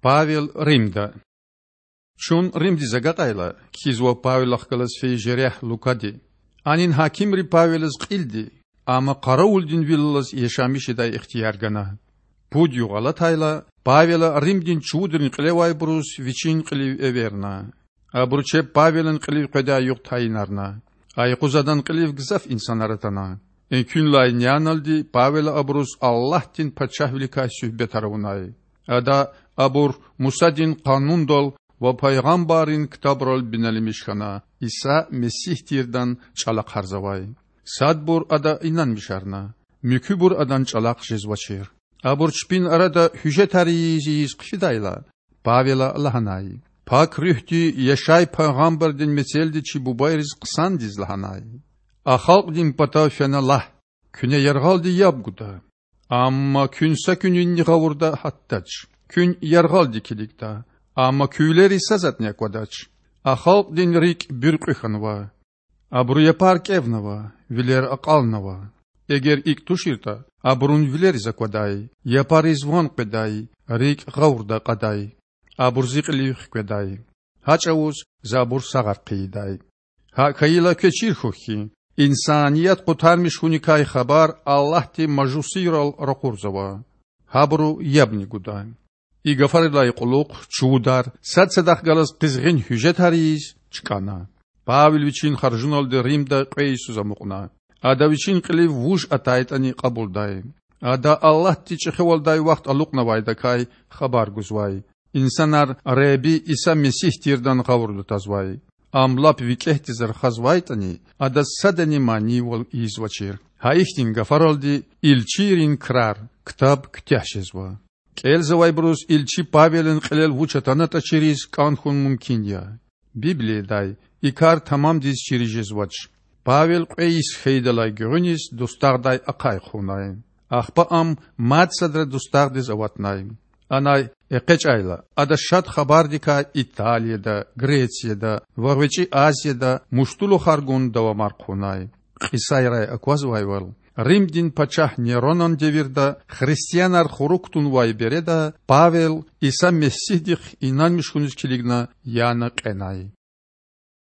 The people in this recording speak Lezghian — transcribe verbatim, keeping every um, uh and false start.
Павел Римда. Чун Римдиз агакьайла, кхьизва Павелахъ галаз фейи жерягь Лукади. Анин гьакимри Павелаз кьилди, амма къаравулдин вил алаз яшамиш жедай ихтияр гана. Пуд югъ алатайла, Павела Римдин чувудрин кьилевайбуруз вичин кьилив эверна. Абуру чеб Павелан кьилив къведай югъ тайинарна. А юкъуз адан кьилив гзаф инсанар атана. Экуьнлай няналди Павела абуруз Аллагьдин Пачагьвиликай суьгьбетар авунай. Ада абур Мусадин Къанундал ва пайгъамбаррин ктабрал бинеламиш хьана, Иса Месигь тирдан чІалахъарзавай. Садбур ада инанмишарна, муькуьбур адан чІалахъ жезвачир. Абур чпин арада гьуьжетар ийиз-ийиз хъфидайла, Павела лагьанай: Пак Руьгьди Яшай пайгъамбардин мецелди чи бубайриз хъсандиз лагьанай: А халкьдин патав фена Лагь, куьне яргъалди яб гуда. Амма куьн са куьнинни гъавурда гьатдач, куьн яргъалди килигда, амма куь вилериз са затІни аквадач. А халкьдин рикІ буьркьуь хьанва. Абуру япар кІевнава, вилер акьалнава. Эгер икІ туширтІа, абурун вилериз аквадай, япариз ван къведай, рикІ гъавурда акьадай, абур Зи кьилив хкведай. Гьа чІавуз За абур сагъар хъийидай. ГьакІ хьайила, квез чир хьухь хьи, инсаният къутармиш хьуникай хабар Аллагьди мажусийрал ракъурзава. Гьабуру ябни гуда. И гафарилай кьулухъ чувудар, сад садахъ галаз къизгъин гьуьжетар ийиз, чкІана. Павел вичин харжуналди Римда кьве йисуз амукьна. Ада вичин кьилив вуж атайтІани кьабулдай. Ада Аллагьди чІехивалдай вахт алукьнавайдакай хабар гузвай. Инсанар Худа Иса Месигь тирдан гъавурда тазвай. Ам лап викІегьдиз рахазвайтІани, адаз садани манийвал ийизвачир. Гьа ихьтин гафаралди Илчийрин крар ктаб куьтягь жезва. КІелзавайбуруз илчи Павелан кьилел вуч атанатІа чириз кІан хьун мумкин я. Библиядай и кар тамамдиз чириз жезвач. Павел кьве йис хьайидалай гуьгъуьниз дустагъдай ахъай хъувунай. Ахпа ам мад садра дустагъдиз аватнай. Анай экъечІайла, ада Шад Хабардикай Италияда, Грецияда ва ГъвечІи Азияда муштулухар гун давамар хъувунай. Кьисайрай аквазвайвал, Римдин пачагь Неронан девирда христианар хурук кутунвай береда Павел Иса Месигьдихъ инанмиш хьуниз килигна яна кьенай.